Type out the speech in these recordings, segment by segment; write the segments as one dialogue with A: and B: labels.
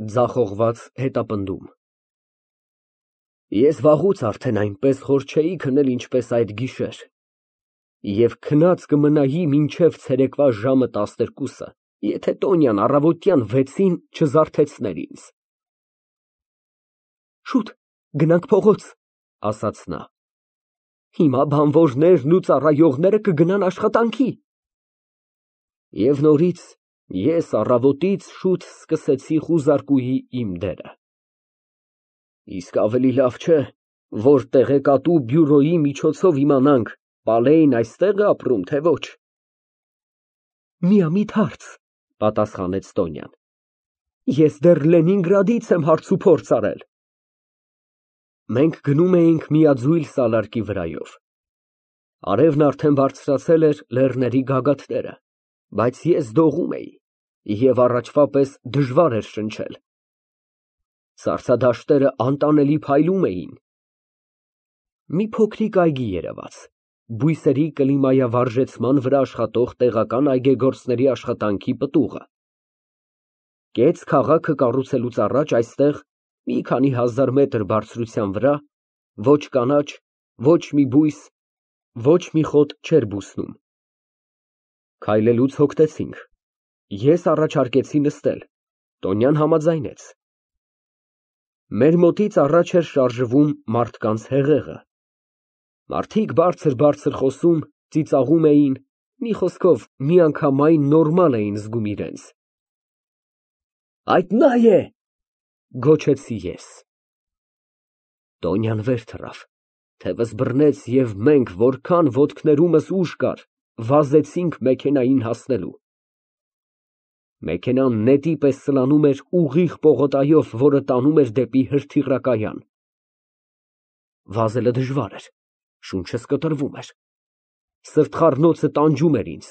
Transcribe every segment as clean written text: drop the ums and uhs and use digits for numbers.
A: Ձախողված հետապնդում։ Ես վաղուց արդեն այնպես խոր չէի քնել, ինչպես այդ գիշեր, և քնած կմնայի մինչև ցերեկվա ժամը 12-ը, եթե Տոնյան առավոտյան 6-ին չզարթեցներ ինձ։ Շուտ, գնանք փողոց, ասաց նա, հիմա բանվորներն ու ծառայողները կգնան աշխատանքի։ Եվ նորից ես առավոտից շուտ սկսեցի խուզարկուի իմ դերը։ Իսկ ավելի լավ չէ, որ տեղեկատու բյուրոյի միջոցով իմանանք, Պալեին այստեղ է ապրում, թե ոչ։ Միամիտ հարց, պատասխանեց Տոնյան, ես դեռ Լենինգրադից եմ հարցուփորձ արել։ Մենք գնում էինք միաձույլ սալարկի վրայով։ Արևն արդեն բարձրացել էր լեռների գագաթները, բայց ես դողում էի, և առաջվա պես դժվար էր շնչել։ Սառցադաշտերը անտանելի փայլում էին։ Մի փոքրիկ այգի երևաց, բույսերի կլիմայավարժեցման վրա աշխատող տեղական այգեգործների աշխատանքի պտուղը։ Կեց քաղաքը կառուցելուց առաջ այստեղ, մի քանի հազար մետր բարձրության վրա, ոչ կանաչ, ոչ մի բույս, ոչ մի խոտ չէր բուսնում։ Քայլելուց հոգնեցինք։ Ես առաջարկեցի նստել, Տոնյան համաձայնեց։ Մեր մոտից առաջ էր շարժվում մարդկանց հեղեղը։ Մարդիկ բարձր խոսում, ծիծաղում էին, մի խոսքով, միանգամայն նորմալ էին զգում իրենց։ Այդ նա է, գոչեցի ես։ Տոնյան վեր թռավ, թևս բռնեց և մենք, որքան ոտքներումս ուժ կար, վազեցինք մեքենային հասնելու։ Մեքենան նետի պես սլանում էր ուղիղ պողոտայով, որը տանում էր դեպի հրթիռակայան։ Վազելը դժվար էր, շունչս կտրվում էր, սրտխառնոցը տանջում էր ինձ,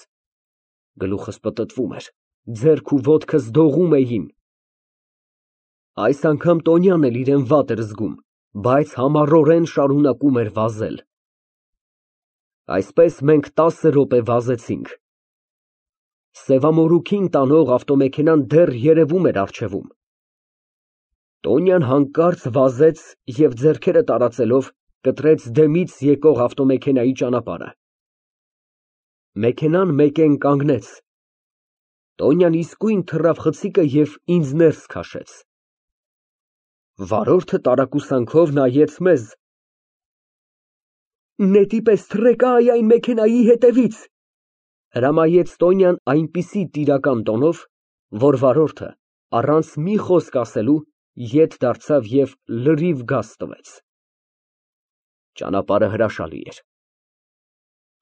A: գլուխս պտտվում էր, ձեռք ու ոտքս դողում էին։ Այս անգամ Տոնյանն էլ իրեն վատ էր զգում, բայց համառորեն շարունակում էր վազել։ Այսպես մենք 10 րոպե վազեցինք։ Սևամորուքին տանող ավտոմեքենան դեռ երևում էր առջևում։ Տոնյան հանկարծ վազեց և ձեռքերը տարածելով կտրեց դեմից եկող ավտոմեքենայի ճանապարհը։ Մեքենան մեկեն կանգնեց։ Տոնյան իսկույն թռավ խցիկը և ինձ ներս քաշեց։ Վարորդը տարակուսանքով նայեց մեզ։ Նետի պես թռեք այն մեքենայի հետևից, հրամայեց Տոնյան այնպիսի տիրական տոնով, որ վարորդը, առանց մի խոսք ասելու, ետ դարձավ և լրիվ գազ տվեց։ Ճանապարհը հրաշալի էր։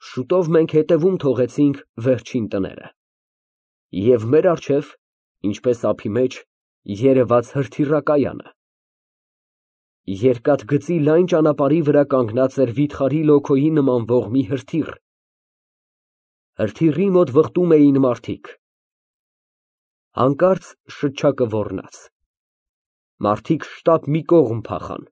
A: Շուտով մենք հետևում թողեցինք վերջին տները։ Եվ մեր առջև, ինչպես ափի մեջ, երևաց հրթիռակայանը։ Երկաթգծի լայն ճանապարհի վրա կանգնած էր վիթխարի լոքոյի նմանվող մի հրթիռ։ Հրթիռի մոտ վխտում էին մարդիկ։ Հանկարծ շչակը ոռնաց։ Մարդիկ շտապ մի կողմ փախան։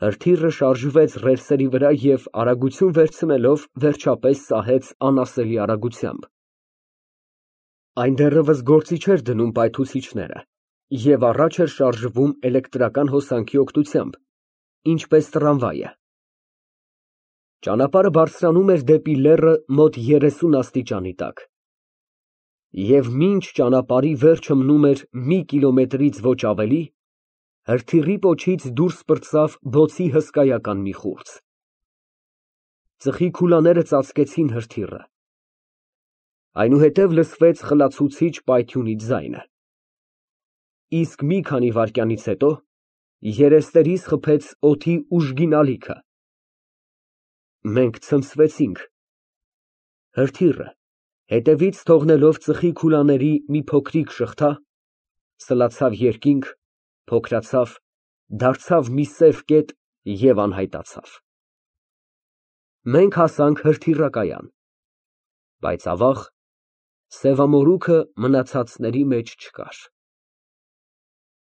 A: Հրթիռը շարժվեց ռելսերի վրա և արագություն վերցնելով, վերջապես սահեց անասելի արագությամբ։ Այն դեռևս գործի չէր դնում պայթուցիչները և առաջ էր շարժվում էլեկտրական հոսանքի օգնությամբ, ինչպես տրամվայը։ Ճանապարհը բարձրանում էր դեպի լեռը մոտ 30 աստիճանի տակ։ Եվ մինչ ճանապարհի վերջը մնում էր մի կիլոմետրից ոչ ավելի, հրթիռի պոչից դուրս պրծավ բոցի հսկայական մի խուրձ։ Ծխի քուլաները ծածկեցին հրթիռը։ Այնուհետև լսվեց խլացուցիչ պայթյունի ձայնը։ Իսկ մի քանի վայրկյանից հետո երեսներիս խփեց օդի ուժգին ալիքը։ Մենք ցնցվեցինք։ Հրթիռը, հետևից թողնելով ծխի քուլաների մի փոքրիկ շղթա, սլացավ երկինք, փոքրացավ, դարձավ մի սև կետ և անհայտացավ։ Մենք հասանք հրթիռակայան, բայց ավաղ, սևամորուքը մնացածների մեջ չկար։